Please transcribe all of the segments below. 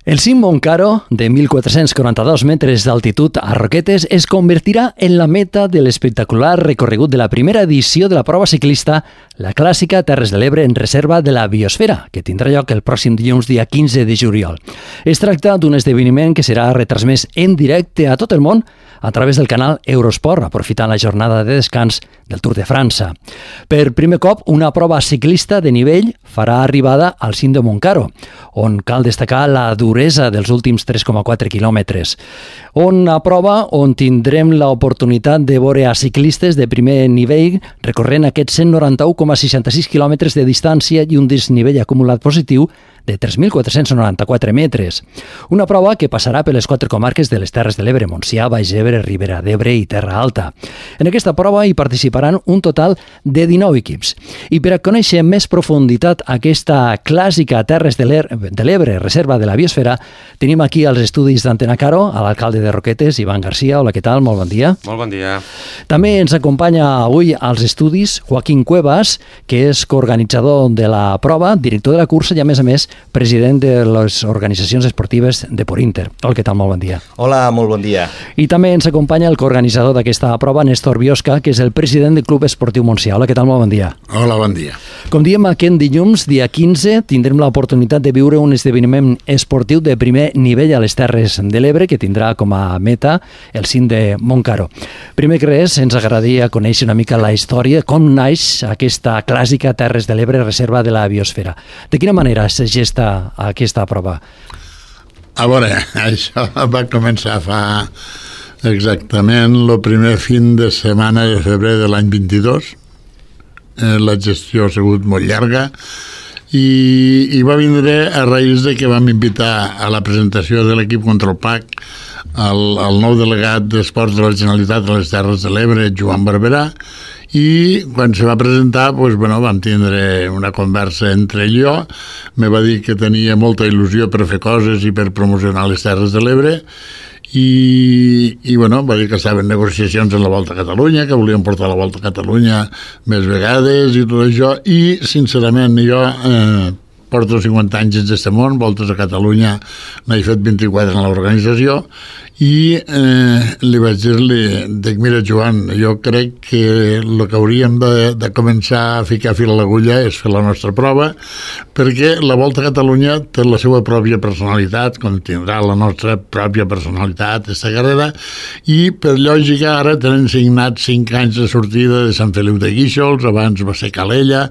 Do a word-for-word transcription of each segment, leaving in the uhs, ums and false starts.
El cim Montcaro, de mil quatre-cents quaranta-dos metres d'altitud a Roquetes, es convertirà en la meta de l'espectacular recorregut de la primera edició de la prova ciclista, la clàssica Terres de l'Ebre en reserva de la Biosfera, que tindrà lloc el pròxim dilluns, dia quinze de juliol. Es tracta d'un esdeveniment que serà retransmès en directe a tot el món a través del canal Eurosport, aprofitant la jornada de descans del Tour de França. Per primer cop, una prova ciclista de nivell farà arribada al cim de Montcaro, on cal destacar la duresa dels últims tres coma quatre quilòmetres. Una prova on tindrem l'oportunitat de veure a ciclistes de primer nivell recorrent aquests cent noranta-u coma seixanta-sis quilòmetres de distància i un desnivell acumulat positiu de tres mil quatre-cents noranta-quatre metres. Una prova que passarà per les quatre comarques de les Terres de l'Ebre, Montsià, Baix Ebre, Ribera d'Ebre i Terra Alta. En aquesta prova hi participaran un total de dinou equips. I per a conèixer amb més profunditat aquesta clàssica Terres de l'Ebre, reserva de la Biosfera, tenim aquí als estudis d'Antena Caro a l'alcalde de Roquetes, Ivan Garcia. Hola, què tal? Molt bon dia. Molt bon dia. També ens acompanya avui als estudis Joaquín Cuevas, que és coorganitzador de la prova, director de la cursa i, a més a més, president de les organitzacions esportives de Porinter. Hola, què tal? Molt bon dia. Hola, molt bon dia. I també ens acompanya el coorganitzador d'aquesta prova, Néstor Biosca, que és el president del Club Esportiu Montsià. Hola, què tal? Molt bon dia. Hola, bon dia. Com diem, aquest dilluns, dia quinze, tindrem l'oportunitat de viure un esdeveniment esportiu de primer nivell a les Terres de l'Ebre, que tindrà com a meta el cim de Montcaro. Primer que res, ens agradaria conèixer una mica la història, com naix aquesta clàssica Terres de l'Ebre, reserva de la Biosfera. De quina manera es gesta aquesta prova? A veure, això va començar fa exactament el primer fin de setmana de febrer de l'any vint-i-dos. Eh, la gestió ha sigut molt llarga i, i va vindre a raïs de que vam invitar a la presentació de l'equip contra el P A C el, el nou delegat d'Esports de la Generalitat de les Terres de l'Ebre, Joan Barberà, i quan se va presentar, doncs, bueno, vam tindre una conversa entre ell i jo. Me va dir que tenia molta il·lusió per fer coses i per promocionar les Terres de l'Ebre i, i bueno, va dir que estaven negociacions en la Volta a Catalunya, que volien portar la Volta a Catalunya més vegades i tot això, i sincerament jo eh, porto cinquanta anys en aquest món, Voltes a Catalunya n'he fet vint-i-quatre en l'organització, i eh, li vaig dir-li, dic, mira Joan, jo crec que el que hauríem de, de començar a ficar fil a l'agulla és fer la nostra prova, perquè la Volta a Catalunya té la seva pròpia personalitat, com tindrà la nostra pròpia personalitat aquesta carrera, i per lògica ara tenen signat cinc anys de sortida de Sant Feliu de Guíxols, abans va ser Calella,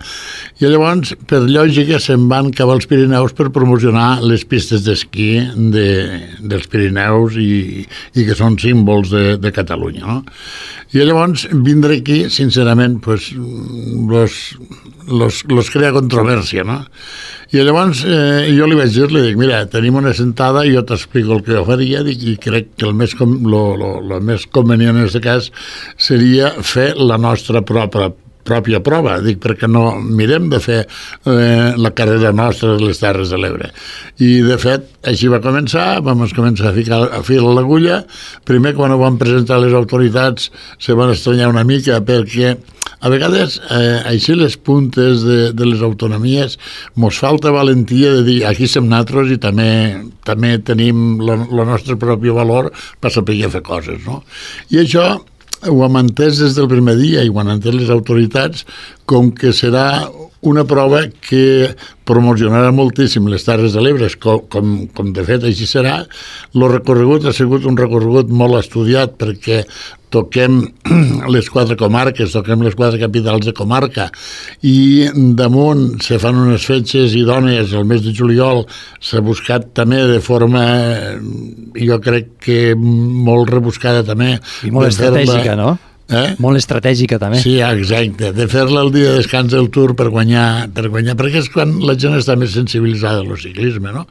i llavors per lògica se'n van cap als Pirineus per promocionar les pistes d'esquí de, dels Pirineus i, i que són símbols de, de Catalunya, no? I llavors vindre aquí, sincerament, pues, los, los, los crea controvèrsia, no? I llavors eh, jo li vaig dir, li dic, mira, tenim una sentada i jo t'explico el que jo faria, dic, i crec que el més, com, lo, lo, lo més convenient en aquest cas seria fer la nostra pròpia pròpia prova, dic, perquè no mirem de fer eh, la carrera nostra de les Terres de l'Ebre. I, de fet, així va començar, vam començar a ficar a fil a l'agulla. Primer, quan ho vam presentar a les autoritats, se van estranyar una mica, perquè a vegades, eh, així les puntes de, de les autonomies, mos falta valentia de dir, aquí som nosaltres i també, també tenim el nostre propi valor per saber fer coses, no? I això ho hem entès des del primer dia i ho han entès les autoritats com que serà una prova que promocionarà moltíssim les Terres de l'Ebre, com, com, com de fet així serà. El recorregut ha sigut un recorregut molt estudiat perquè toquem les quatre comarques, toquem les quatre capitals de comarca i damunt se fan unes fetges idònies el mes de juliol. S'ha buscat també de forma, jo crec que molt rebuscada també. I molt estratègica, no? Eh? Molt estratègica també. Sí, exacte, de fer-la el dia de descans del Tour per guanyar, per guanyar, perquè és quan la gent està més sensibilitzada al ciclisme, no?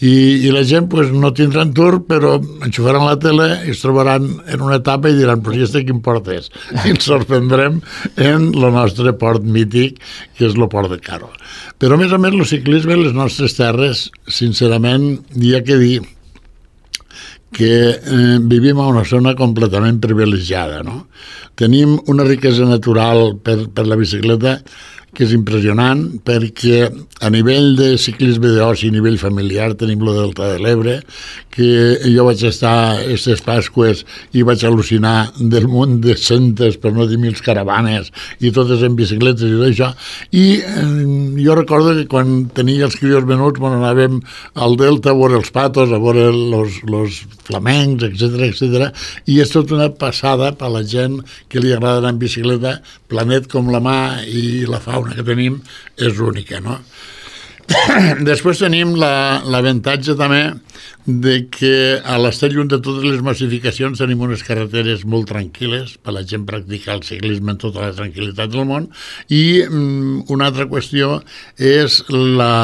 I, i la gent pues, no tindran Tour, però enxufaran la tele i es trobaran en una etapa i diran, però este quin port és? I ens sorprendrem en el nostre port mític, que és el port de Caro. Però a més a més el ciclisme, les nostres terres, sincerament, hi ha que dir que eh, vivim a una zona completament privilegiada, no? Tenim una riquesa natural per, per la bicicleta que és impressionant, perquè a nivell de ciclisme d'oci, a nivell familiar, tenim lo Delta de l'Ebre, que jo vaig estar aquestes Pasques i vaig al·lucinar del munt de centes, per no dir mil caravanes, i totes en bicicletes i tot això. I eh, jo recordo que quan tenia els crios menuts, bueno, anàvem al Delta a veure els patos, a veure los, los flamencs, etcètera, etcètera, i és tot una passada per a la gent que li agrada anar en bicicleta. Planet com la mà i la fauna que tenim és única, no? Després tenim l'avantatge la, també de que a l'estar lluny de totes les massificacions tenim unes carreteres molt tranquil·les per a la gent practicar el ciclisme en tota la tranquil·litat del món. I mm, una altra qüestió és la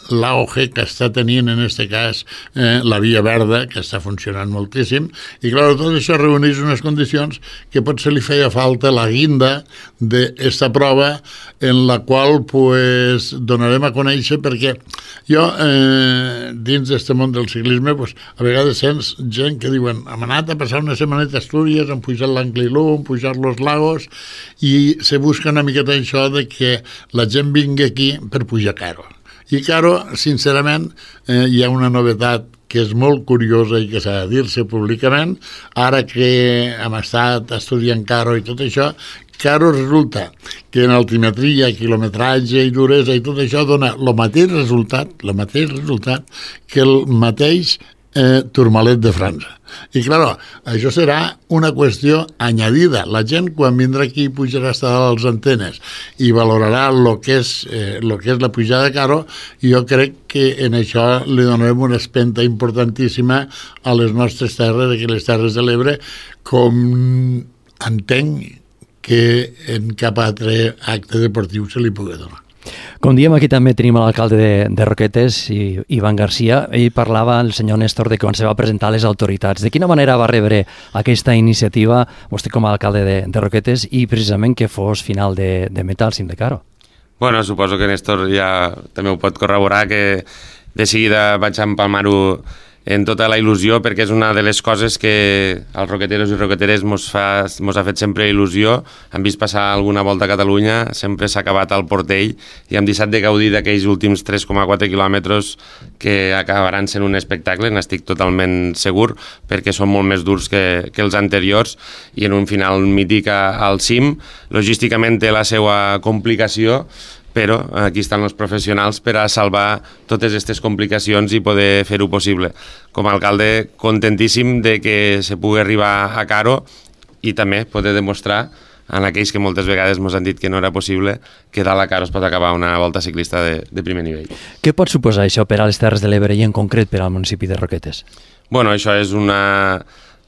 l'auge que està tenint en aquest cas eh, la Via Verda, que està funcionant moltíssim, i clar, tot això reuneix unes condicions que potser li feia falta la guinda d'esta prova, en la qual pues, donarem a conèixer, perquè jo eh, dins d'aquest món del ciclisme pues, a vegades sents gent que diuen hem anat a passar una setmaneta a Astúries, hem pujat l'Anglilú, hem pujat los lagos, i se busca una miqueta això de que la gent vingui aquí per pujar caro. I Caro, sincerament, eh, hi ha una novetat que és molt curiosa i que s'ha de dir-se públicament. Ara que hem estat estudiant Caro i tot això, Caro resulta que en altimetria, quilometratge i duresa i tot això dona el mateix resultat, el mateix resultat que el mateix eh, Tourmalet de França. I, clar, això serà una qüestió añadida. La gent, quan vindrà aquí, pujarà hasta a les antenes i valorarà el que és, eh, lo que és la pujada de Caro, i jo crec que en això li donarem una espenta importantíssima a les nostres terres, aquí les Terres de l'Ebre, com entenc que en cap altre acte deportiu se li pugui donar. Com diem, aquí també tenim l'alcalde de, de Roquetes, i, Ivan Garcia. Ell parlava, el senyor Néstor, de quan se va presentar a les autoritats. De quina manera va rebre aquesta iniciativa, vostè com a alcalde de, de Roquetes, i precisament que fos final de, de meta al cim de Caro? Bueno, suposo que Néstor ja també ho pot corroborar, que de seguida vaig empalmar-ho en tota la il·lusió, perquè és una de les coses que als roqueteros i roqueteres mos, fa, mos ha fet sempre il·lusió. Hem vist passar alguna volta a Catalunya, sempre s'ha acabat al Portell i hem deixat de gaudir d'aquells últims tres coma quatre quilòmetres que acabaran sent un espectacle, n'estic totalment segur, perquè són molt més durs que, que els anteriors, i en un final mític al cim. Logísticament té la seva complicació, però aquí estan els professionals per a salvar totes aquestes complicacions i poder fer-ho possible. Com a alcalde, contentíssim de que se pugui arribar a Caro i també poder demostrar en aquells que moltes vegades ens han dit que no era possible que dalt a Caro es pot acabar una volta ciclista de, de primer nivell. Què pot suposar això per a les Terres de l'Ebre i en concret per al municipi de Roquetes? Bueno, això és una...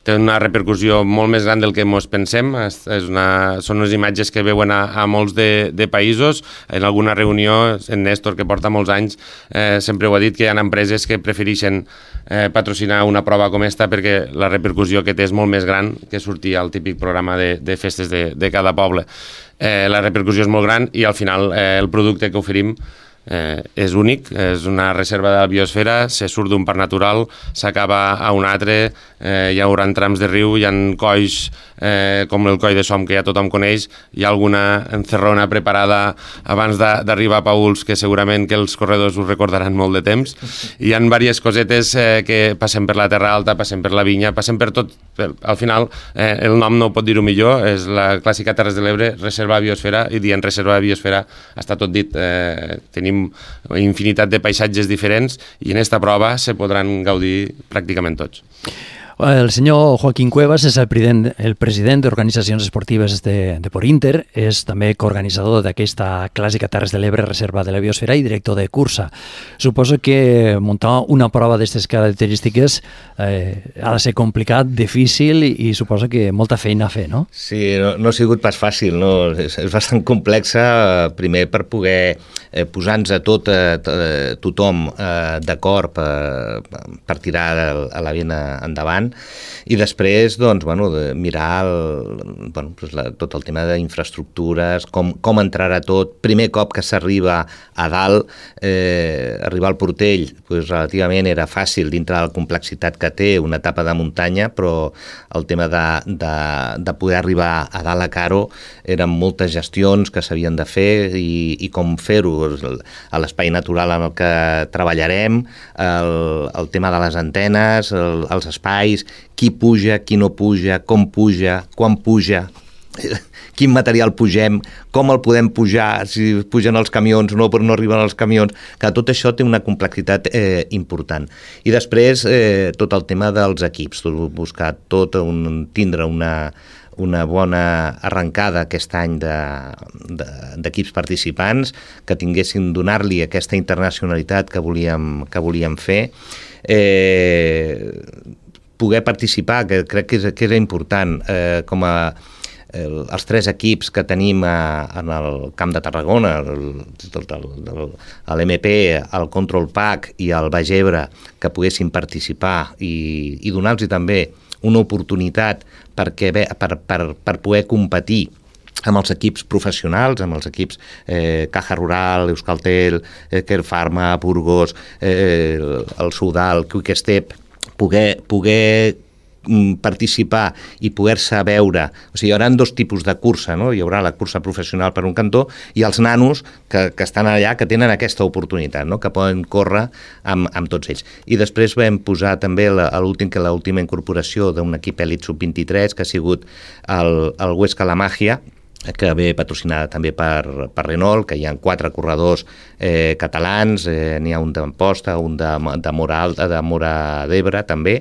té una repercussió molt més gran del que ens pensem. És una, són unes imatges que veuen a, a molts de, de països. En alguna reunió, en Néstor, que porta molts anys, eh, sempre ho ha dit, que hi ha empreses que prefereixen eh, patrocinar una prova com esta perquè la repercussió que té és molt més gran que sortir al típic programa de, de festes de, de cada poble. Eh, la repercussió és molt gran i al final eh, el producte que oferim Eh, és únic, és una reserva de la biosfera, se surt d'un parc natural, s'acaba a un altre, eh, hi haurà trams de riu, hi ha colls eh, com el coll de Som que ja tothom coneix, hi ha alguna encerrona preparada abans d'arribar a Pauls que segurament que els corredors us recordaran molt de temps. Hi ha diverses cosetes eh, que passen per la Terra Alta, passen per la vinya, passen per tot. Per, al final eh, el nom no pot dir-ho millor, és la clàssica Terres de l'Ebre, reserva de biosfera, i dient reserva de biosfera està tot dit. Eh, tenim infinitat de paisatges diferents i en esta prova se podran gaudir pràcticament tots. El senyor Joaquín Cuevas és el president, el president d'organitzacions esportives de, de Porinter, és també coorganitzador d'aquesta clàssica Terres de l'Ebre, reserva de la biosfera, i director de cursa. Suposo que muntar una prova d'aquestes característiques eh, ha de ser complicat, difícil i, i suposo que molta feina a fer, no? Sí, no, no ha sigut pas fàcil, no? És, és bastant complexa, primer per poder eh, posar-nos a tot, a, a tothom eh, d'acord per, per tirar a la vena endavant. endavant, i després doncs, bueno, de mirar el, bueno, doncs la, tot el tema d'infraestructures, com, com entrarà tot. Primer cop que s'arriba a dalt, eh, arribar al Portell doncs, relativament era fàcil dintre de la complexitat que té una etapa de muntanya, però el tema de, de, de poder arribar a dalt a Caro eren moltes gestions que s'havien de fer i, i com fer-ho a l'espai natural en el que treballarem, el, el tema de les antenes, el, els espais, qui puja, qui no puja, com puja, quan puja, quin material pugem, com el podem pujar, si pugen els camions o no, però no arriben els camions, que tot això té una complexitat eh, important. I després eh, tot el tema dels equips, buscar tot, un, tindre una, una bona arrencada aquest any d'equips de, de, participants, que tinguessin, donar-li aquesta internacionalitat que volíem, que volíem fer, eh, poder participar, que crec que és, que és important, eh, com a el, els tres equips que tenim a, en el Camp de Tarragona, l'M P, el Control Pack i el Baix Ebre, que poguessin participar i, i donar-los també una oportunitat perquè, per, per, per poder competir amb els equips professionals, amb els equips eh, Caja Rural, Euskaltel, eh, Kerpharma, Burgos, eh, el Soudal, Quick Step, poder, poder participar i poder-se veure. O sigui, hi haurà dos tipus de cursa, no? Hi haurà la cursa professional per un cantó i els nanos que, que estan allà, que tenen aquesta oportunitat, no? Que poden córrer amb, amb tots ells. I després vam posar també l'última l'última incorporació d'un equip elit sub vint-i-tres, que ha sigut el, el Huesca La Magia, que ve patrocinada també per, per Renault, que hi ha quatre corredors eh, catalans, eh, n'hi ha un d'Amposta, un de, de Mora Alta, de Mora d'Ebre també,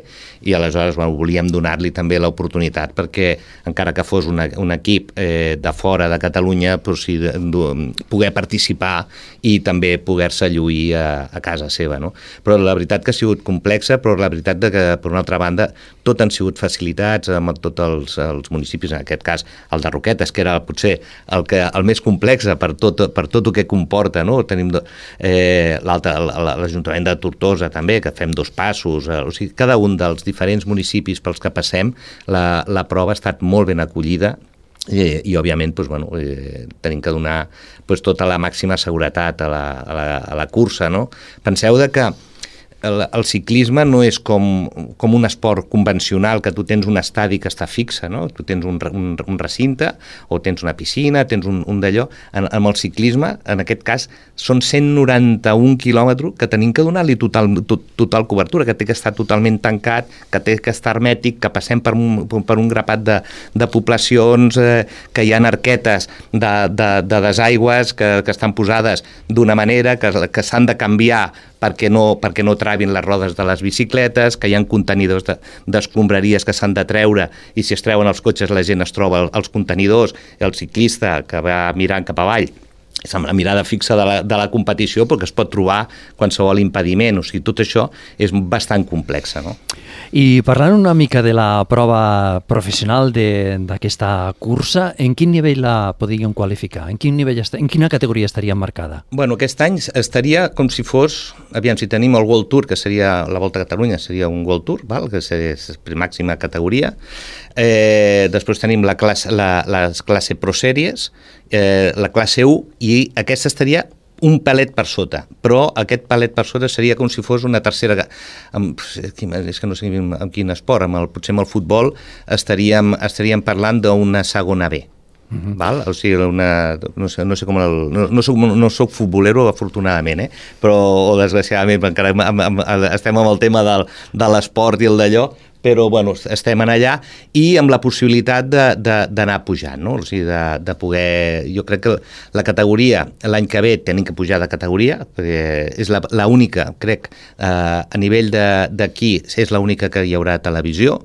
i aleshores bueno, volíem donar-li també l'oportunitat perquè encara que fos una, un equip eh, de fora de Catalunya, però sí, de, de, poder participar i també poder-se lluir a, a casa seva. No? Però la veritat que ha sigut complexa, però la veritat de que, per una altra banda, tot han sigut facilitats amb tots els, els municipis, en aquest cas el de Roquetes, que era potser el, que, el més complex per tot, per tot el que comporta, no? Tenim eh, l'Ajuntament de Tortosa també, que fem dos passos, eh, o sigui, cada un dels diferents municipis pels que passem, la, la prova ha estat molt ben acollida i, i òbviament doncs, bueno, eh, tenim que donar doncs, tota la màxima seguretat a la, a la, a la cursa. No? Penseu de que El, el ciclisme no és com, com un esport convencional que tu tens un estadi que està fixe, no? Tu tens un, un, un recinte o tens una piscina, tens un, un d'allò. En, amb el ciclisme, en aquest cas, són cent noranta-un quilòmetres que tenim que donar-li total, tot, total cobertura, que té que estar totalment tancat, que té que estar hermètic, que passem per un, per un grapat de, de poblacions, eh, que hi ha arquetes de, de, de desaigües que, que estan posades d'una manera, que, que s'han de canviar perquè no, perquè no trabin les rodes de les bicicletes, que hi ha contenidors d'escombraries de, que s'han de treure i si es treuen els cotxes la gent es troba els contenidors, el ciclista que va mirant cap avall és amb la mirada fixa de la, de la competició perquè es pot trobar qualsevol impediment, o sigui, tot això és bastant complex, no? I parlant una mica de la prova professional d'aquesta cursa, en quin nivell la podríem qualificar? En quin nivell en quina categoria estaria marcada? Bueno, aquest any estaria com si fos, aviam, si tenim el World Tour, que seria la Volta a Catalunya, seria un World Tour, val? Que és màxima categoria. Eh, després tenim la classe, la, la classe Pro Series, eh, la classe u, i aquesta estaria un palet per sota, però aquest palet per sota seria com si fos una tercera... Amb, és que no sé amb quin esport, amb el, potser amb el futbol estaríem, estaríem parlant d'una segona B. Uh-huh. Val? O sigui, una, no, sé, no sé com el, no, no, soc, no soc futbolero afortunadament, eh? Però o desgraciadament encara amb, amb, estem amb el tema del, de l'esport i el d'allò, però bueno, estem en allà i amb la possibilitat d'anar pujant, no? O sigui, de, de poder... Jo crec que la categoria, l'any que ve tenim que pujar de categoria, perquè és l'única, crec, eh, a nivell d'aquí, és l'única que hi haurà televisió,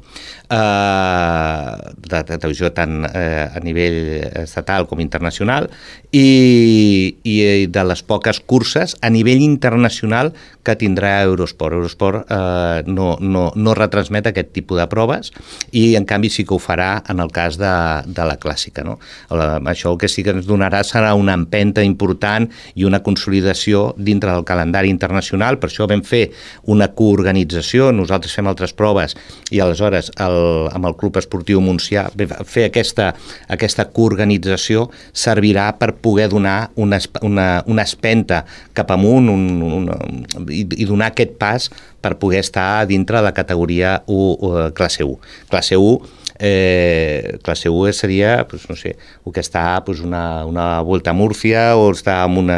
eh, de, de televisió tant eh, a nivell estatal com internacional, i, i de les poques curses a nivell internacional que tindrà Eurosport. Eurosport eh, no, no, no retransmet aquest aquest tipus de proves, i en canvi sí que ho farà en el cas de, de la clàssica, no? La, això el que sí que ens donarà serà una empenta important i una consolidació dintre del calendari internacional. Per això vam fer una coorganització, nosaltres fem altres proves i aleshores el, amb el Club Esportiu Montsià fer aquesta, aquesta coorganització servirà per poder donar una, una, una espenta cap amunt un, una, i, i donar aquest pas per poder estar dintre de la categoria u, u, classe u. Classe u Eh, classe u seria, pues, no sé, el que està pues, una, una Volta a Múrcia o està amb una...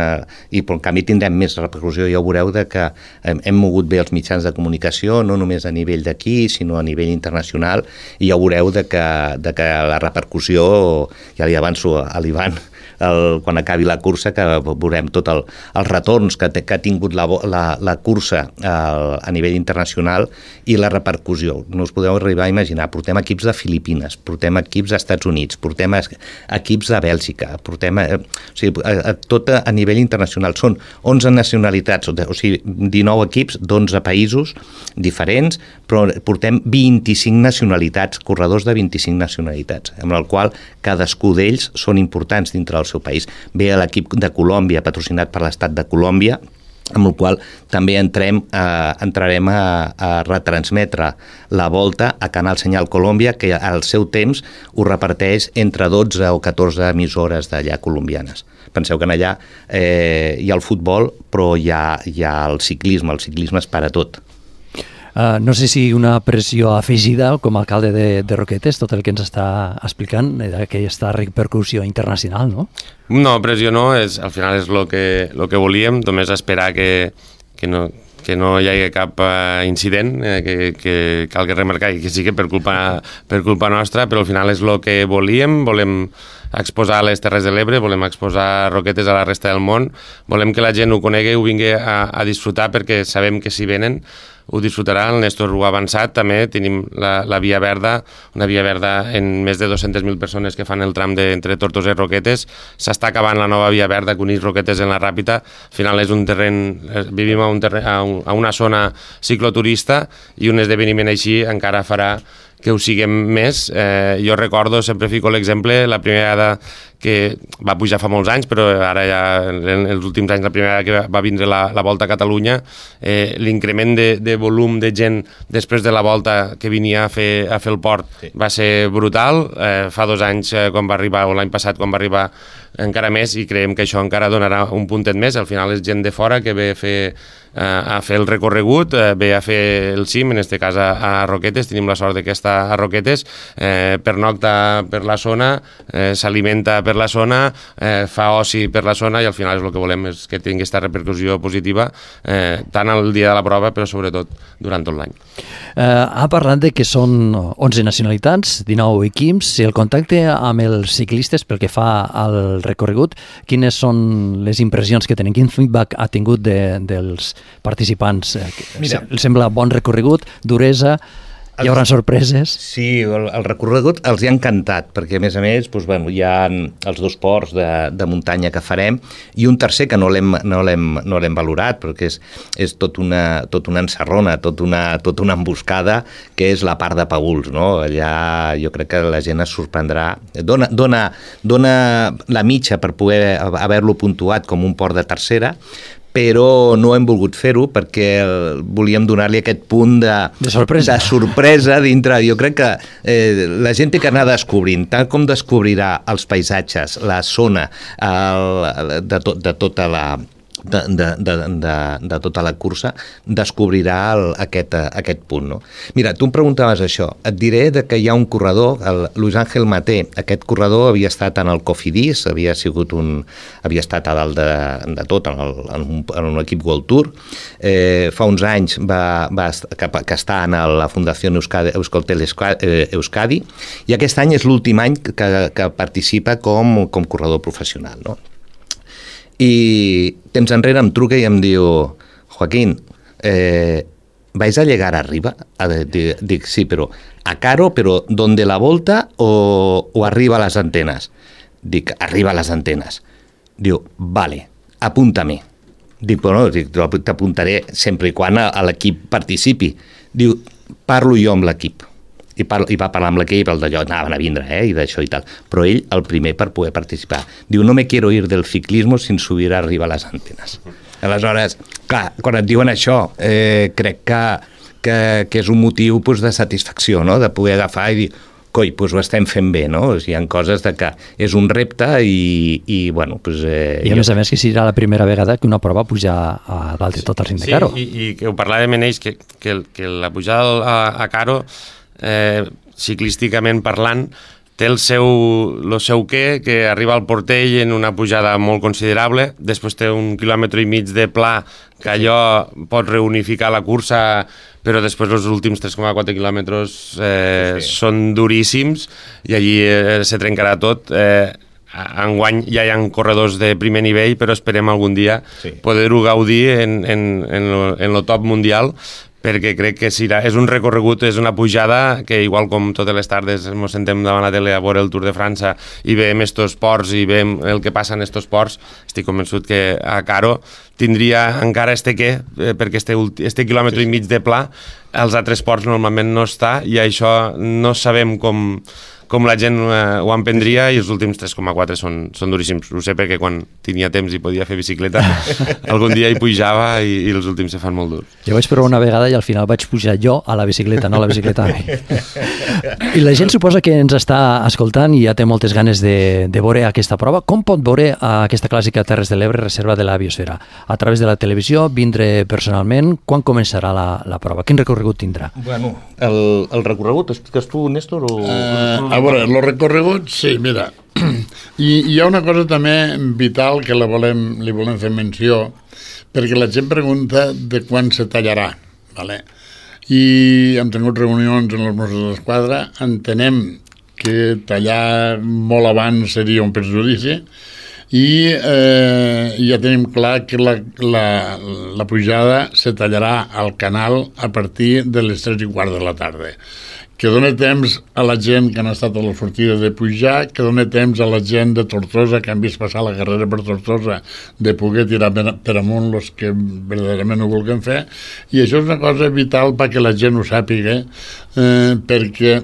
I per en canvi tindrem més repercussió. Ja ho veureu de que hem, hem mogut bé els mitjans de comunicació, no només a nivell d'aquí, sinó a nivell internacional, i ja ho veureu de que, de que la repercussió, ja li avanço a l'Ivan, el, quan acabi la cursa, que veurem tots el, els retorns que, te, que ha tingut la, la, la cursa a, a nivell internacional i la repercussió. No us podeu arribar a imaginar. Portem equips de Filipines, portem equips als Estats Units, portem equips de Bèlgica, portem a, o sigui, a, a, tot a, a nivell internacional. Són onze nacionalitats, o sigui, dinou equips d'onze països diferents, però portem vint-i-cinc nacionalitats, corredors de vint-i-cinc nacionalitats, amb el qual cadascú d'ells són importants dintre del seu país. Ve l'equip de Colòmbia, patrocinat per l'estat de Colòmbia, amb el qual també entrem, eh, entrarem a, a retransmetre la volta a Canal Senyal Colòmbia, que al seu temps ho reparteix entre dotze o catorze emissores d'allà colombianes. Penseu que en allà eh, hi ha el futbol, però hi ha, hi ha el ciclisme, el ciclisme és per a tot. Uh, no sé si una pressió afegida com a alcalde de, de Roquetes, tot el que ens està explicant d'aquesta repercussió internacional, no? No, pressió no, és, al final és el que, lo que volíem, només esperar que, que, no, que no hi hagi cap uh, incident, eh, que, que cal que remarcar, i que sí que per culpa, per culpa nostra, però al final és el que volíem, volem exposar les Terres de l'Ebre, volem exposar Roquetes a la resta del món, volem que la gent ho conegui, ho vingui a, a disfrutar, perquè sabem que si venen ho disfrutarà. El Néstor ho ha avançat, també tenim la, la Via Verda, una Via Verda en més de dues-centes mil persones que fan el tram de, entre Tortosa i Roquetes. S'està acabant la nova Via Verda que uneix Roquetes en la Ràpita. Al final és un terreny, vivim a, un terreny, a, un, a una zona cicloturista, i un esdeveniment així encara farà que ho siguem més. Eh, jo recordo, sempre fico l'exemple, la primera vegada que va pujar fa molts anys, però ara ja en els últims anys, la primera vegada que va vindre la, la Volta a Catalunya, eh, l'increment de, de volum de gent després de la Volta que venia a fer, a fer el port sí. va ser brutal. Eh, fa dos anys, eh, quan va arribar, o l'any passat, quan va arribar, encara més, i creiem que això encara donarà un puntet més. Al final és gent de fora que ve a fer, eh, a fer el recorregut, eh, ve a fer el cim, en este cas a, a Roquetes. Tenim la sort de que està a Roquetes, eh, pernocta per la zona, eh, s'alimenta per la zona, eh, fa oci per la zona, i al final és el que volem, és que tingui aquesta repercussió positiva, eh, tant el dia de la prova, però sobretot durant tot l'any. Eh, ha parlat de que són onze nacionalitats, dinou equips, i el contacte amb els ciclistes pel que fa al recorregut, quines són les impressions que tenen? Quin feedback ha tingut de, dels participants? Mira, sembla bon recorregut, duresa, hi haurà sorpreses? Sí, el, el recorregut els hi ha encantat, perquè a més a més doncs, bueno, hi ha els dos ports de, de muntanya que farem, i un tercer que no l'hem no no l'hem valorat, perquè és, és tot, una, tot una encerrona, tot una, tot una emboscada, que és la part de Paüls, no? Allà jo crec que la gent es sorprendrà. Dona, dona, dona la mitja per poder haver-lo puntuat com un port de tercera, però no hem volgut fer-ho perquè volíem donar-li aquest punt de, de, sorpresa. de sorpresa dintre. Jo crec que eh, la gent té que anar descobrint, tant com descobrirà els paisatges, la zona el, de, to, de tota la... De, de, de, de, de tota la cursa, descobrirà el, aquest, aquest punt. No? Mira, tu em preguntaves això. Et diré de que hi ha un corredor, el Luis Ángel Maté. Aquest corredor havia estat en el Cofidis, havia sigut un, havia estat a dalt de, de tot, en, el, en, un, en un equip World Tour. Eh, fa uns anys va, va, que, que està en la Fundació Euskadi, Euskaltel Euskadi, i aquest any és l'últim any que, que participa com, com corredor professional, no? I temps enrere em truca i em diu: Joaquín, eh, ¿vais a llegar arriba? Dic, dic, sí, però a Caro, però donde la volta o, o arriba a les antenes? Dic, arriba a les antenes. Diu, vale, apúntame. Dic, bueno, t'apuntaré sempre i quan a, a l'equip participi. Diu, parlo jo amb l'equip. I, parlo, i va parlar amb l'equip, el d'allò, anaven a vindre, eh, i d'això i tal. Però ell, el primer per poder participar. Diu, no me quiero ir del ciclismo sin subir arriba a les antenes. Aleshores, clar, quan et diuen això, eh, crec que, que, que és un motiu pues, de satisfacció, no?, de poder agafar i dir, coi, doncs ho estem fent bé, no? O sigui, hi ha coses de que és un repte i, i bueno, doncs... Eh, I a jo... més a més que serà la primera vegada que una prova puja a dalt de tot el cim de Caro. Sí, i, i que ho parlàvem en ells, que, que, que la pujada a, a Caro, eh, ciclísticament parlant, té el seu, el seu què, que arriba al Portell en una pujada molt considerable, després té un quilòmetre i mig de pla, que allò pot reunificar la cursa, però després els últims tres coma quatre quilòmetres eh, sí. són duríssims i allí eh, se trencarà tot. Eh, enguany ja hi ha corredors de primer nivell, però esperem algun dia sí. poder-ho gaudir en, en, en, lo, en lo top mundial, perquè crec que serà, és un recorregut, és una pujada que igual com totes les tardes ens sentem davant la tele a veure el Tour de França i veiem estos ports i veiem el que passa en estos ports, estic convençut que a Caro tindria encara este què, eh, perquè este, este quilòmetre sí, sí. i mig de pla, als altres ports normalment no està i això no sabem com, com la gent eh, ho emprendria i els últims tres coma quatre són, són duríssims. Ho sé perquè quan tenia temps i podia fer bicicleta algun dia hi pujava i, i els últims se fan molt durs. Jo vaig provar una vegada i al final vaig pujar jo a la bicicleta, no a la bicicleta a mi. I la gent suposa que ens està escoltant i ja té moltes ganes de, de veure aquesta prova. Com pot veure aquesta clàssica Terres de l'Ebre, reserva de la Biosfera? A través de la televisió, vindre personalment? Quan començarà la, la prova? Quin recorregut tindrà? Bueno, el, el recorregut, expliques tu, Néstor? O... Uh, a veure, el recorregut, sí, mira, i hi ha una cosa també vital que la volem, li volem fer menció, perquè la gent pregunta de quan se tallarà, vale? I hem tingut reunions en els Mossos d'Esquadra, entenem que tallar molt abans seria un perjudici i eh, ja tenim clar que la, la, la pujada se tallarà al canal a partir de les tres i quart de la tarda, que dona temps a la gent que han estat a la sortida de pujar, que dona temps a la gent de Tortosa, que han vist passar la carrera per Tortosa, de poder tirar per, per amunt els que verdaderament ho vulguin fer, i això és una cosa vital perquè la gent ho sàpiga, eh, perquè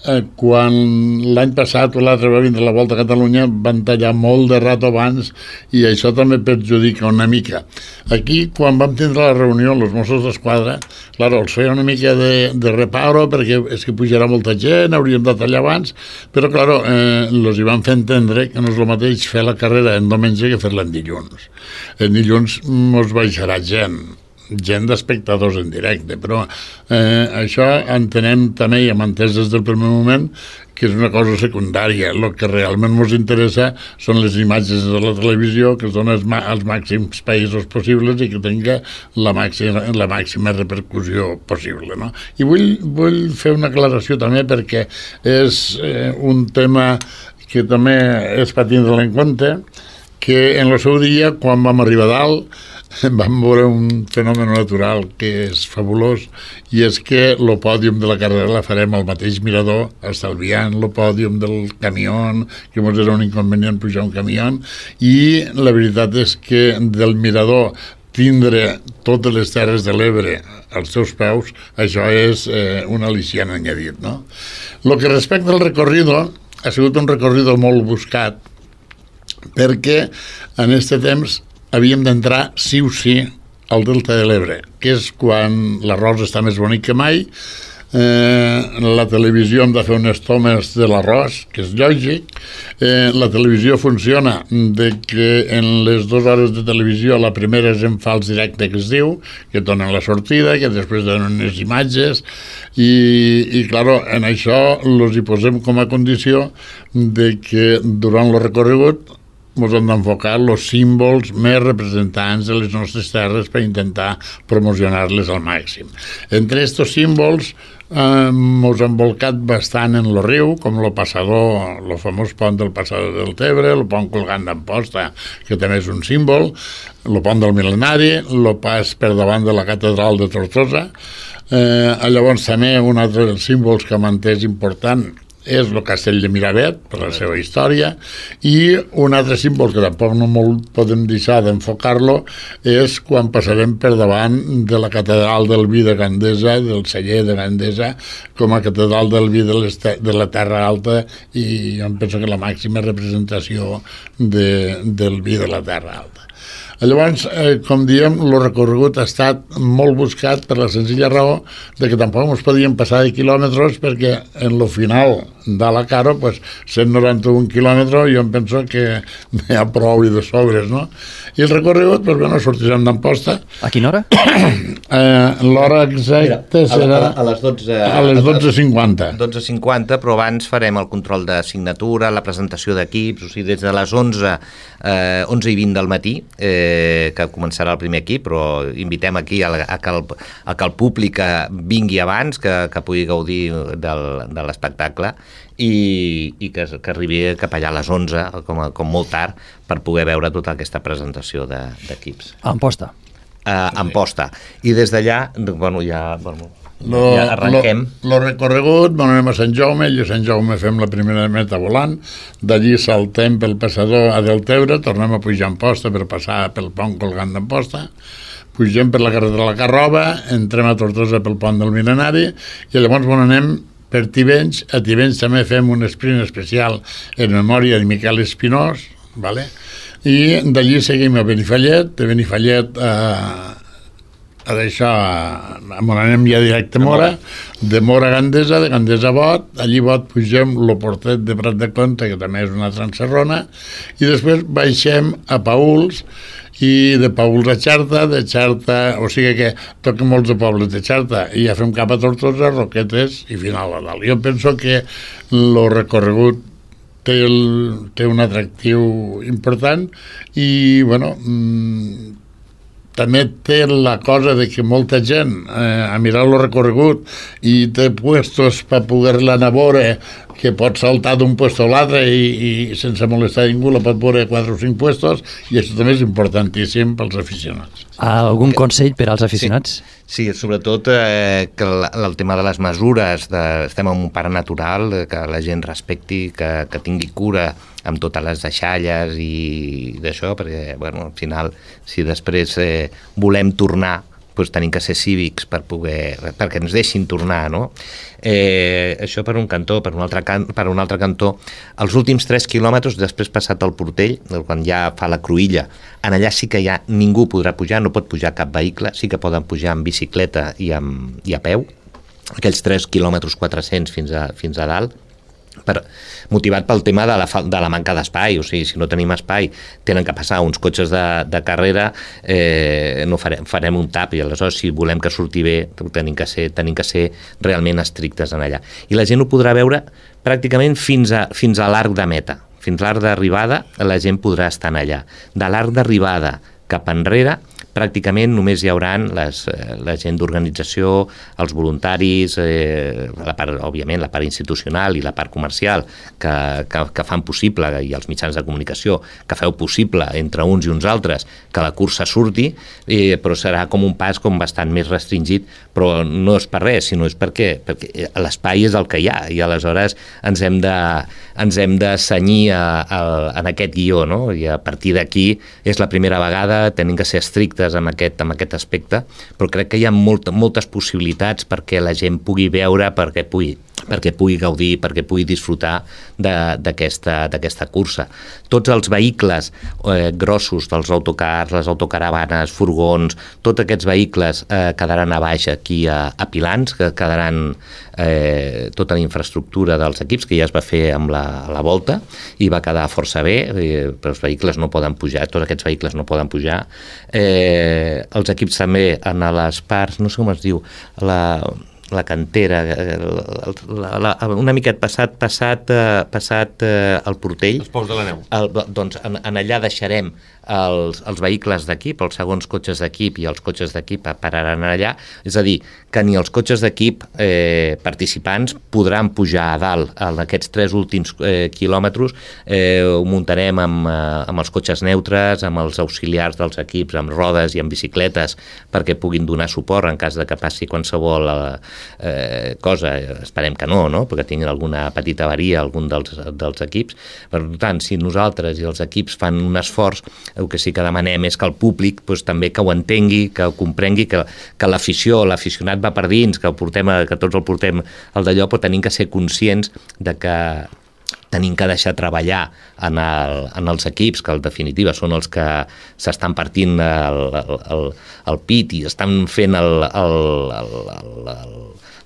eh, quan l'any passat o l'altre va vindre la Volta a Catalunya van tallar molt de rato abans i això també perjudica una mica. Aquí, quan vam tindre la reunió amb els Mossos d'Esquadra, claro, els feia una mica de, de reparo perquè és que pujarà molta gent, hauríem de tallar abans, però claro, eh, els hi van fer entendre que no és el mateix fer la carrera en diumenge que fer-la en dilluns. En dilluns mos baixarà gent, gent d'espectadors en directe, però eh, això entenem també i hem entès des del primer moment que és una cosa secundària. El que realment ens interessa són les imatges de la televisió que es donen als màxims països possibles i que tinga la màxima, la màxima repercussió possible, no? I vull, vull fer una aclaració també perquè és eh, un tema que també és per tindre en compte, que en el seu dia, quan vam arribar a dalt, vam veure un fenomen natural que és fabulós i és que el pòdium de la carrera la farem al mateix mirador, estalviant el pòdium del camió, que ens era un inconvenient pujar un camió, i la veritat és que del mirador tindre totes les Terres de l'Ebre als seus peus, això és eh, un al·licient añadit, no? El que respecta al recorrido, ha sigut un recorrido molt buscat perquè en aquest temps havíem d'entrar sí o sí al Delta de l'Ebre, que és quan l'arròs està més bonic que mai. Eh, la televisió hem de fer unes tomes de l'arròs, que és lògic. Eh, la televisió funciona de que en les dues hores de televisió la primera és en fals directe, que es diu, que donen la sortida, que després donen unes imatges, i, i claro, en això els hi posem com a condició de que durant el recorregut ens hem d'enfocar els símbols més representants de les nostres terres per intentar promocionar-les al màxim. Entre aquests símbols eh, ens hem volcat bastant en el riu, com el passador, el famós pont del passador del Tebre, el pont colgant d'Amposta, que també és un símbol, el pont del Mil·lenari, el pas per davant de la catedral de Tortosa. Eh, llavors també un altre dels símbols que hem entès important és el castell de Miravet, per la seva història, i un altre símbol que tampoc no molt podem deixar d'enfocar-lo és quan passarem per davant de la catedral del vi de Gandesa, del celler de Gandesa, com a catedral del vi de, de la Terra Alta, i jo em penso que la màxima representació de, del vi de la Terra Alta. Llavors, eh, com diem, el recorregut ha estat molt buscat per la senzilla raó de que tampoc ens podíem passar de quilòmetres, perquè en lo final de la Caro, pues, cent noranta-un quilòmetres, jo em penso que n'hi ha prou i de sobres, no? I el recorregut, pues, bueno, sortirem d'Amposta. A quina hora? Eh, L'hora exacta serà a, a, a les dotze... A les dotze cinquanta. dotze cinquanta, però abans farem el control de signatura, la presentació d'equips, o sigui, des de les onze, eh, onze i vint del matí, eh, que començarà el primer equip, però invitem aquí a, a, que, el, a que el públic vingui abans, que, que pugui gaudir del, de l'espectacle, i, i que, que arribi cap allà a les onze, com, a, com molt tard, per poder veure tota aquesta presentació d'equips. A Amposta. Uh, Amposta. I des d'allà, bueno, ja, bueno, Lo, ja arrenquem. Lo, lo recorregut, bueno, anem a Sant Jaume, i a Sant Jaume fem la primera meta volant, d'allí saltem pel passador a Deltebre, tornem a pujar a Amposta per passar pel pont colgant d'Amposta, pugem per la carretera de la Carroba, entrem a Tortosa pel pont del Mil·lenari, i llavors, bueno, anem per Tivenys. A Tivenys també fem un sprint especial en memòria de Miquel Espinós, vale? I d'allí seguim a Benifallet, de Benifallet a, a d'això, on anem ja directe a Mora, de Mora a Gandesa, de Gandesa a Bot, allí a Bot pugem el Portet de Prat de Comte, que també és una transerrona, i després baixem a Pauls, i de Pauls a Xarta, de Xarta, o sigui que toquen molts de pobles de Xarta, i ja fem cap a Tortosa, Roquetes i final a dalt. Jo penso que el recorregut té, el, té un atractiu important i, bueno, mmm, també té la cosa de que molta gent eh, a mirar el recorregut i té puestos per poder-la anar a veure, que pot saltar d'un puesto a l'altre i, i sense molestar ningú la pot veure quatre o cinc puestos, i això també és importantíssim pels aficionats. Algun consell per als aficionats? Sí, sí, sobretot eh, que el, el tema de les mesures, de, estem en un parc natural, que la gent respecti, que, que tingui cura amb totes les deixalles i d'això, perquè, bueno, al final, si després eh, volem tornar, doncs tenim que ser cívics per poder, perquè ens deixin tornar, no? Eh, això per un cantó, per un altre, can, per un altre cantó, els últims tres quilòmetres, després passat el Portell, quan ja fa la Cruïlla, en allà sí que ja ningú podrà pujar, no pot pujar cap vehicle, sí que poden pujar amb bicicleta i, amb, i a peu, aquells tres quilòmetres quatre-cents fins a, fins a dalt, per, motivat pel tema de la, de la manca d'espai, o sigui, si no tenim espai tenen que passar uns cotxes de, de carrera, eh, no farem, farem un tap, i aleshores si volem que surti bé tenim que ser, tenim que ser realment estrictes en allà, i la gent ho podrà veure pràcticament fins a, fins a l'arc de meta, fins a l'arc d'arribada la gent podrà estar en allà, de l'arc d'arribada cap enrere pràcticament només hi haurà les, la gent d'organització, els voluntaris, eh, la part, òbviament la part institucional i la part comercial que, que, que fan possible, i els mitjans de comunicació que feu possible entre uns i uns altres que la cursa surti, eh, però serà com un pas com bastant més restringit, però no és per res, sinó és perquè, perquè l'espai és el que hi ha, i aleshores ens hem de, ens hem de cenyir a, a, en aquest guió, no? I a partir d'aquí és la primera vegada, tenim que ser estrictes amb aquest, amb aquest aspecte, però crec que hi ha molt, moltes possibilitats perquè la gent pugui veure, perquè pugui, perquè pugui gaudir, perquè pugui disfrutar d'aquesta cursa. Tots els vehicles eh, grossos dels autocars, les autocaravanes, furgons, tots aquests vehicles eh, quedaran a baix aquí a, a Pilans, que quedaran eh, tota la infraestructura dels equips, que ja es va fer amb la, la volta, i va quedar força bé, eh, però els vehicles no poden pujar, tots aquests vehicles no poden pujar. Eh, els equips també en les parts, no sé com es diu, la... la cantera, la, la, una miquet passat, passat, passat eh, el Portell. Els pous de la neu. El, doncs en, en allà deixarem els, els vehicles d'equip, els segons cotxes d'equip i els cotxes d'equip pararan allà, és a dir, que ni els cotxes d'equip eh, participants podran pujar a dalt en aquests tres últims eh, quilòmetres, eh, ho muntarem amb, eh, amb els cotxes neutres, amb els auxiliars dels equips, amb rodes i amb bicicletes, perquè puguin donar suport en cas de que passi qualsevol eh, cosa, esperem que no, no? Perquè tinguin alguna petita avaria algun dels, dels equips. Per tant, si nosaltres i els equips fan un esforç, el que sí que demanem és que el públic doncs, també que ho entengui, que ho comprengui, que, que l'afició, l'aficionat va per dins, que, portem, que tots el portem al d'allò, però tenim que ser conscients de que tenim que deixar treballar en, el, en els equips, que en definitiva són els que s'estan partint el, el, el, el pit i estan fent el, el, el, el, el,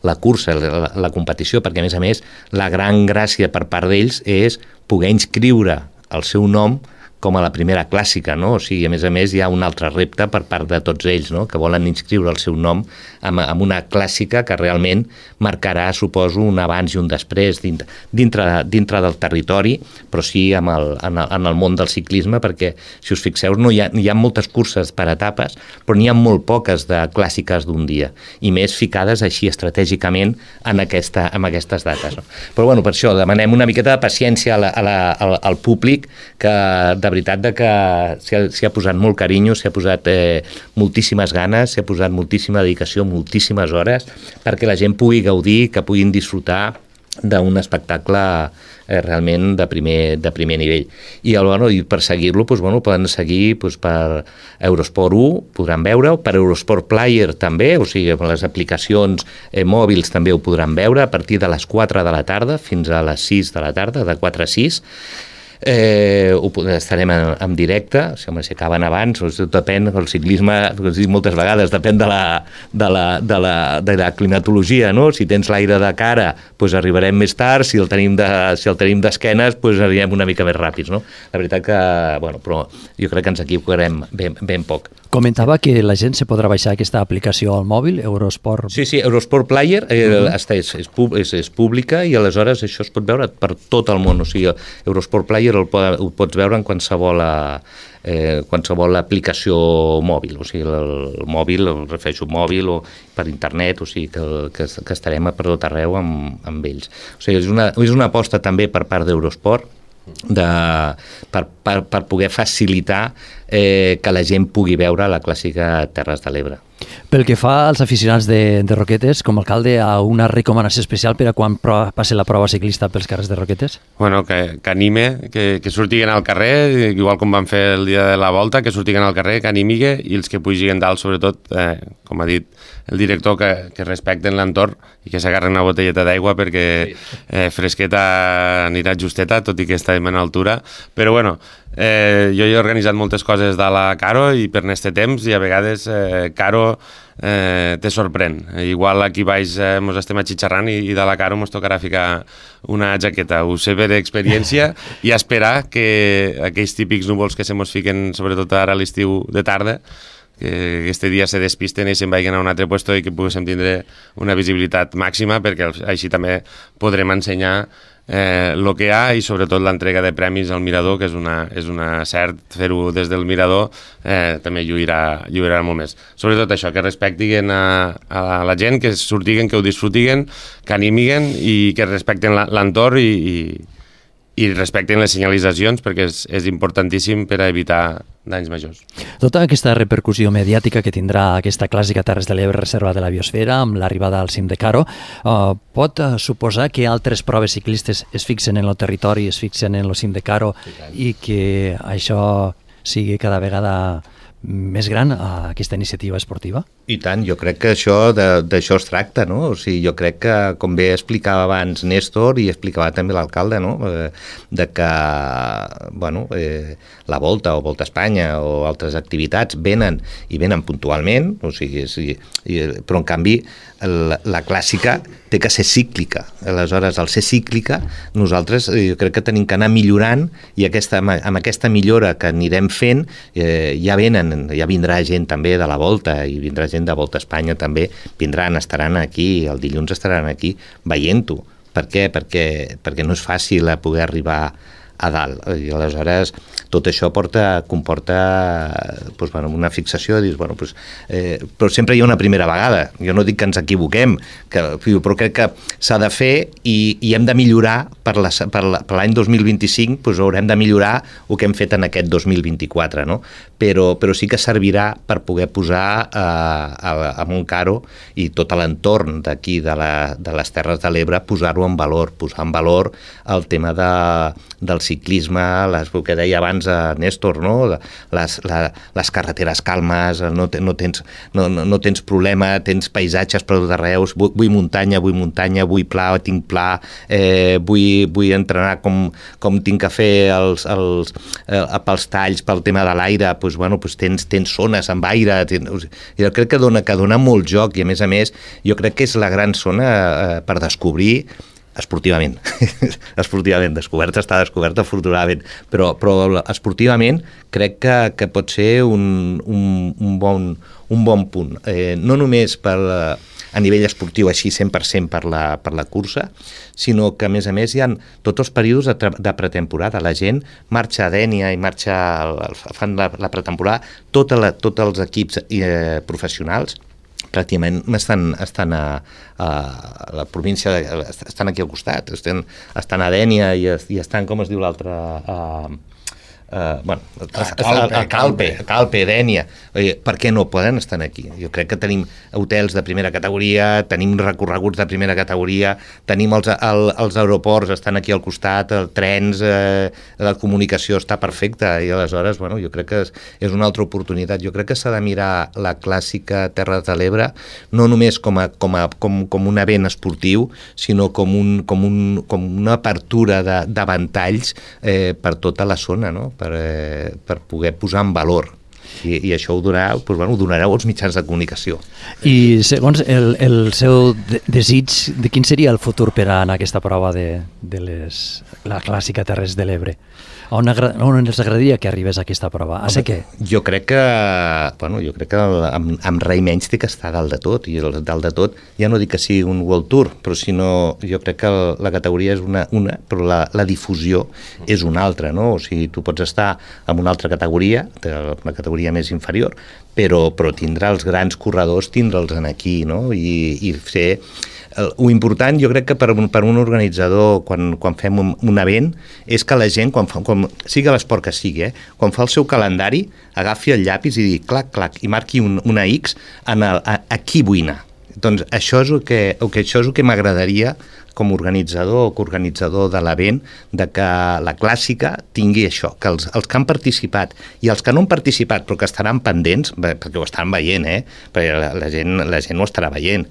la cursa, la, la competició, perquè a més a més la gran gràcia per part d'ells és poder inscriure el seu nom com a la primera clàssica, no? O sigui, a més a més hi ha un altre repte per part de tots ells, no? Que volen inscriure el seu nom amb, amb una clàssica que realment marcarà, suposo, un abans i un després dintre, dintre, dintre del territori, però sí amb el, en, el, en el món del ciclisme, perquè, si us fixeu, no hi ha, hi ha moltes curses per etapes, però n'hi ha molt poques de clàssiques d'un dia, i més ficades així estratègicament en, aquesta, en aquestes dates. No? Però, bueno, per això demanem una miqueta de paciència a la, a la, al, al públic, que de de veritat de que s'hi ha, s'hi ha posat molt carinyo, s'hi ha posat eh, moltíssimes ganes, s'hi ha posat moltíssima dedicació, moltíssimes hores, perquè la gent pugui gaudir, que puguin disfrutar d'un espectacle eh, realment de primer, de primer nivell. I, el, bueno, i per seguir-lo doncs, bueno, poden seguir doncs, per Eurosport u, podran veure-ho, per Eurosport Player també, o sigui, les aplicacions eh, mòbils també ho podran veure a partir de les quatre de la tarda fins a les sis de la tarda, de quatre a sis. Eh, ho, estarem en, en directe, si, home, si acaben abans, doncs, depèn, el ciclisme, com dic moltes vegades, depèn de la, de la, de la, de la climatologia, no? Si tens l'aire de cara, doncs arribarem més tard, si el tenim de, si el tenim d'esquenes, doncs arribem una mica més ràpids, no? La veritat que, bueno, però jo crec que ens equivocarem ben, ben poc. Comentava que la gent se podrà baixar aquesta aplicació al mòbil, Eurosport... Sí, sí, Eurosport Player eh, uh-huh. és, és, és, és pública i aleshores això es pot veure per tot el món, o sigui, Eurosport Player el, ho pots veure en qualsevol, eh, qualsevol aplicació mòbil, o sigui, el, el mòbil, el refereixo mòbil o per internet, o sigui, que, que, que estarem per tot arreu amb, amb ells. O sigui, és una, és una aposta també per part d'Eurosport, de, per, per, per poder facilitar eh, que la gent pugui veure la clàssica Terres de l'Ebre. Pel que fa als aficionats de, de Roquetes, com a alcalde, a una recomanació especial per a quan pro, passi la prova ciclista pels carrers de Roquetes? Bueno, que, que anime, que, que surtiguen al carrer, igual com van fer el dia de la volta, que surtiguen al carrer, que animigui, i els que pugin dalt, sobretot, eh, com ha dit el director, que, que respecten l'entorn i que s'agarren una botelleta d'aigua perquè eh, fresqueta anirà justeta, tot i que estem en altura. Però bueno, eh, jo he organitzat moltes coses de la Caro i per n'este temps, i a vegades eh, Caro eh, te sorprèn. Igual aquí baix eh, mos estem atxitxarrant i, i de la Caro mos tocarà ficar una jaqueta. Ho sé per experiència i esperar que aquells típics núvols que se mos fiquen, sobretot ara a l'estiu de tarda, que aquest dia se despisten i se'n vagin a un altre lloc i que poguéssim tindre una visibilitat màxima, perquè així també podrem ensenyar eh, el que hi ha i sobretot l'entrega de premis al mirador, que és una, és una cert, fer-ho des del mirador eh, també lluirà, lluirà molt més. Sobretot això, que respectin a, a la gent, que surtiguen, que ho disfrutiguen, que animiguen i que respecten l'entorn i, i i respecten les senyalitzacions, perquè és, és importantíssim per a evitar danys majors. Tota aquesta repercussió mediàtica que tindrà aquesta clàssica Terres de l'Ebre reserva de la biosfera amb l'arribada al cim de Caro uh, pot uh, suposar que altres proves ciclistes es fixen en el territori, es fixen en el cim de Caro i que això sigui cada vegada més gran a aquesta iniciativa esportiva? I tant, jo crec que això d'això es tracta, no? O sigui, jo crec que, com bé explicava abans Néstor i explicava també l'alcalde, no? De que, bueno, eh, la Volta o Volta a Espanya o altres activitats venen i venen puntualment, o sigui, sí, però en canvi la, la clàssica té que ser cíclica. Aleshores, al ser cíclica, nosaltres jo crec que tenim que anar millorant i aquesta, amb aquesta millora que anirem fent eh, ja venen, ja vindrà gent també de la Volta i vindrà gent de Volta a Espanya també, vindran, estaran aquí, el dilluns estaran aquí veient-ho. Per què? Perquè, perquè no és fàcil poder arribar a dalt. I aleshores tot això porta, comporta doncs, bueno, una fixació, dius, bueno, doncs, eh, però sempre hi ha una primera vegada. Jo no dic que ens equivoquem, que, però crec que s'ha de fer i, i hem de millorar per la, per la, per l'any dos mil vint-i-cinc, doncs haurem de millorar el que hem fet en aquest dos mil vint-i-quatre, no? Però, però sí que servirà per poder posar eh, a, a Montcaro i tot l'entorn d'aquí de, la, de les Terres de l'Ebre, posar-ho en valor, posar en valor el tema de, del ciclisme, les, el que deia abans a Néstor, no? les, la, les carreteres calmes, no, no, tens, no, no tens problema, tens paisatges per tot arreu, vull, vull muntanya, vull muntanya, vull pla, tinc pla, eh, vull, vull entrenar com, com tinc que fer els, els, eh, pels talls, pel tema de l'aire, doncs, bueno, doncs tens, tens zones amb aire, tens, jo crec que dona, que dona molt joc i a més a més jo crec que és la gran zona eh, per descobrir esportivament, esportivament, descoberta està descoberta afortunadament, però, però esportivament crec que, que pot ser un, un, un, bon, un bon punt, eh, no només per, a nivell esportiu així cent per cent per la, per la cursa, sinó que a més a més hi ha tots els períodes de, de pretemporada, la gent marxa a Dénia i marxa, fan la, la pretemporada, tots tota tot els equips eh, professionals pràcticament estan, estan a, a la província, de, estan aquí al costat, estan, estan a Dénia i, i estan, com es diu l'altre... Uh, Uh, bueno, a Calpe, a Calpe, a Calpe, Dénia. Per què no poden estar aquí? Jo crec que tenim hotels de primera categoria, tenim recorreguts de primera categoria, tenim els, el, els aeroports, estan aquí al costat, els trens, eh, la comunicació està perfecta i aleshores, bueno, jo crec que és, és una altra oportunitat. Jo crec que s'ha de mirar la clàssica Terres de l'Ebre no només com, a, com, a, com, com un event esportiu, sinó com, un, com, un, com una apertura de, de ventalls eh, per tota la zona, no? Per, eh, per poder posar en valor i, i això ho donarà, doncs, bueno, ho donareu als mitjans de comunicació. I segons el, el seu de desig, de quin seria el futur per a en aquesta prova de, de les, la clàssica Terres de l'Ebre? On, on ens agradaria que arribés aquesta prova? A ser què? Jo crec que, bueno, jo crec que amb, amb rei menys té que estar dalt de tot, i el dalt de tot ja no dic que sigui un World Tour, però sinó jo crec que la categoria és una, una però la, la difusió és una altra, no? O sigui, tu pots estar en una altra categoria, una categoria més inferior, però, però tindrà els grans corredors, tindre'ls aquí, no? I, i fer... Lo important, jo crec que per un, per un organitzador, quan, quan fem un, un event, és que la gent, quan, fa, quan sigui l'esport que sigui, eh, quan fa el seu calendari, agafi el llapis i digui clac, clac, i marqui un, una X en el, a, a qui vull anar. Doncs això és el que, el que, això és el que m'agradaria com a organitzador o coorganitzador de l'event, de que la clàssica tingui això, que els, els que han participat i els que no han participat però que estaran pendents, perquè ho estan veient, eh? Perquè la, la, gent, la gent ho estarà veient,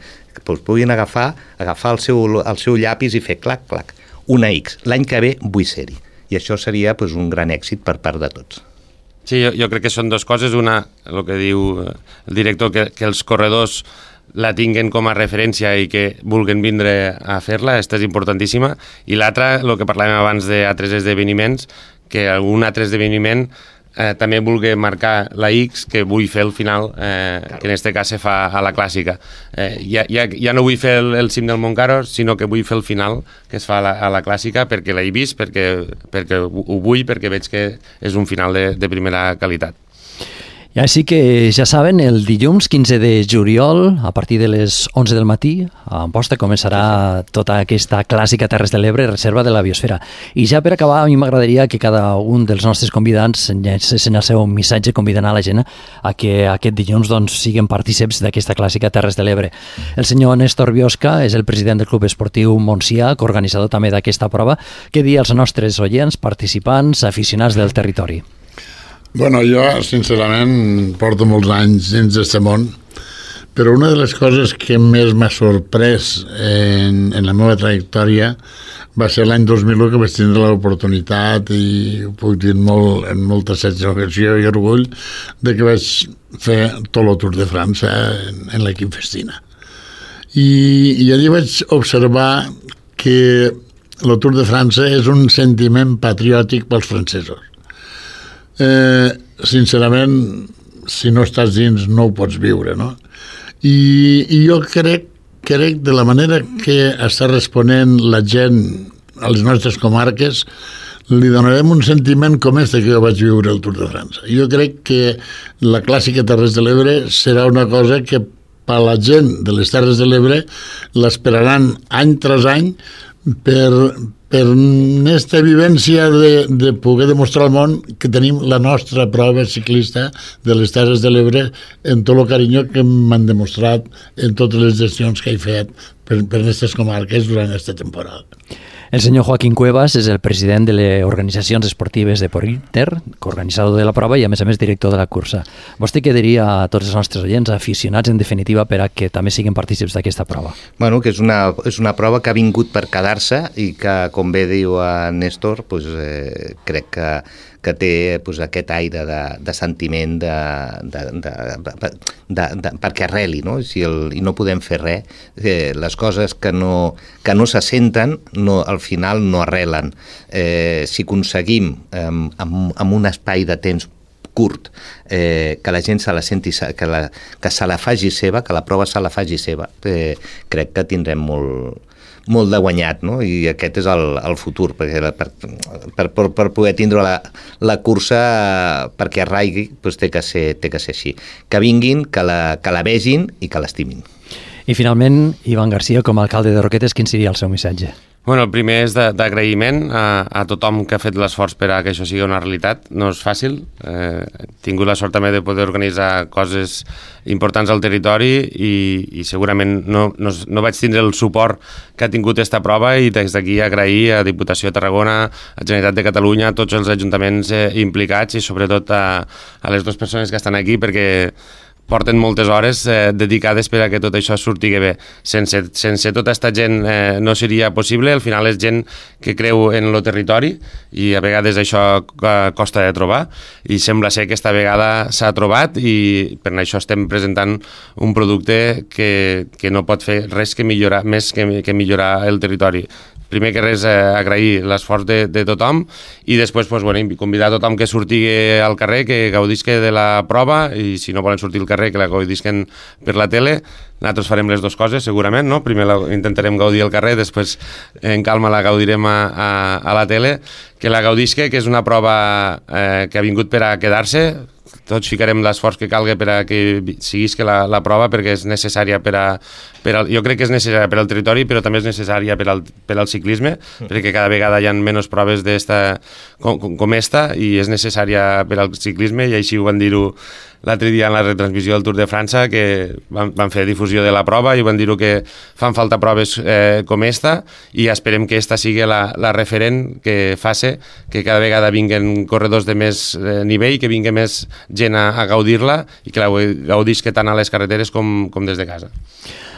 doncs puguin agafar, agafar el seu, el seu llapis i fer clac, clac, una X. L'any que ve vull ser-hi. I això seria doncs, un gran èxit per part de tots. Sí, jo, jo crec que són dues coses. Una, el que diu el director, que, que els corredors la tinguen com a referència i que vulguin vindre a fer-la, aquesta és importantíssima. I l'altra, el que parlàvem abans d'altres esdeveniments, que algun altre esdeveniment eh, també vulgui marcar la X que vull fer al final, eh, que en aquest cas se fa a la clàssica. Eh, ja, ja, ja no vull fer el, el cim del Montcaro, sinó que vull fer el final que es fa a la, a la clàssica perquè l'he vist, perquè, perquè ho vull, perquè veig que és un final de, de primera qualitat. I així que ja saben, el dilluns quinze de juliol, a partir de les onze del matí, a Amposta començarà tota aquesta clàssica Terres de l'Ebre, reserva de la biosfera. I ja per acabar, a mi m'agradaria que cada un dels nostres convidats llançessin el seu missatge convidant a la gent a que aquest dilluns doncs, siguin partíceps d'aquesta clàssica Terres de l'Ebre. El senyor Néstor Biosca és el president del Club Esportiu Montsià, coorganitzador també d'aquesta prova. Què dir als nostres oients, participants, aficionats del territori? Bueno, jo, sincerament, porto molts anys dins d'aquest món, però una de les coses que més m'ha sorprès en, en la meva trajectòria va ser l'any dos mil u, que vaig tindre l'oportunitat, i ho puc dir molt, en molta satisfacció i orgull, de que vaig fer tot el Tour de França en, en l'equip Festina. I, I allí vaig observar que el Tour de França és un sentiment patriòtic pels francesos. Eh, sincerament, si no estàs dins no ho pots viure, no? I, i jo crec, crec de la manera que està responent la gent a les nostres comarques, li donarem un sentiment com este que jo vaig viure al Tour de França. Jo crec que la clàssica Terres de l'Ebre serà una cosa que per la gent de les Terres de l'Ebre l'esperaran any tras any per, per aquesta vivència de, de poder demostrar al món que tenim la nostra prova ciclista de les Terres de l'Ebre en tot el carinyo que m'han demostrat en totes les gestions que he fet per, per aquestes comarques durant aquesta temporada. El senyor Joaquín Cuevas és el president de les organitzacions esportives de Porinter, coorganitzador de la prova i a més a més director de la cursa. Vostè què diria a tots els nostres oients, aficionats en definitiva, per a que també siguin partícips d'aquesta prova? Bueno, que és una, és una prova que ha vingut per quedar-se i que, com bé diu a Néstor, pues, eh, crec que que té pues, aquest aire de, de sentiment de, de, de, de, de, de, perquè arreli, no? Si el, i no podem fer res. Eh, les coses que no, que no se senten no, al final no arrelen. Eh, si aconseguim eh, amb, amb un espai de temps curt, eh, que la gent se la senti, que, la, que se la faci seva, que la prova se la faci seva, eh, crec que tindrem molt, molt de guanyat, no? I aquest és el, el futur, perquè per, per, per, per poder tindre la, la cursa perquè arraigui, doncs té que ser, té que ser així. Que vinguin, que la, que la vegin i que l'estimin. I finalment, Ivan Garcia, com a alcalde de Roquetes, quin seria el seu missatge? Bueno, el primer és d'agraïment a, a tothom que ha fet l'esforç per a que això sigui una realitat. No és fàcil. Eh, he tingut la sort també de poder organitzar coses importants al territori i, i segurament no, no, no vaig tindre el suport que ha tingut aquesta prova i des d'aquí agrair a Diputació de Tarragona, a Generalitat de Catalunya, a tots els ajuntaments eh, implicats i sobretot a, a les dues persones que estan aquí perquè porten moltes hores eh, dedicades per a que tot això surti bé. Sense, sense tota aquesta gent eh, no seria possible. Al final és gent que creu en el territori i a vegades això eh, costa de trobar i sembla ser que aquesta vegada s'ha trobat i per això estem presentant un producte que, que no pot fer res que millorar, més que, que millorar el territori. Primer que res, eh, agrair l'esforç de, de tothom i després pues, bueno, convidar a tothom que surti al carrer, que gaudisque de la prova i si no volen sortir al carrer, que la gaudisquen per la tele. Nosaltres farem les dues coses, segurament, no? Primer la, intentarem gaudir al carrer, després en calma la gaudirem a, a, a la tele. Que la gaudisque, que és una prova eh, que ha vingut per a quedar-se. Tots ficarem l'esforç que calgui per a que siguisca la, la prova perquè és necessària per a, per a... Jo crec que és necessària per al territori, però també és necessària per al, per al ciclisme, mm. perquè cada vegada hi ha menys proves d'esta, com, com esta i és necessària per al ciclisme i així ho van dir-ho l'altre dia en la retransmissió del Tour de França, que van, van fer difusió de la prova i van dir que fan falta proves eh, com esta i esperem que esta sigui la, la referent que faci que cada vegada vinguen corredors de més eh, nivell, que vingui més gent a, a gaudir-la i que la gaudisca tant a les carreteres com, com des de casa.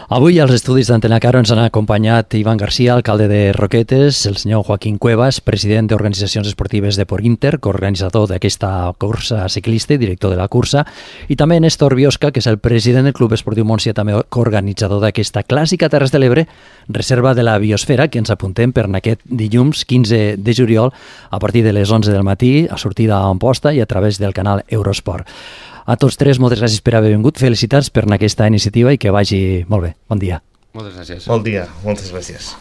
Avui als estudis d'Antena Caro ens han acompanyat Ivan Garcia, alcalde de Roquetes, el senyor Joaquín Cuevas, president d'Organitzacions Esportives de Porinter, coorganitzador d'aquesta cursa ciclista i director de la cursa, i també Néstor Biosca, que és el president del Club Esportiu Montsià, també coorganitzador d'aquesta clàssica Terres de l'Ebre, reserva de la biosfera, que ens apuntem per aquest dilluns quinze de juliol a partir de les onze del matí, a sortida a Amposta i a través del canal Eurosport. A tots tres, moltes gràcies per haver vingut. Felicitats per aquesta iniciativa i que vagi molt bé. Bon dia. Moltes gràcies. Bon dia. Moltes gràcies.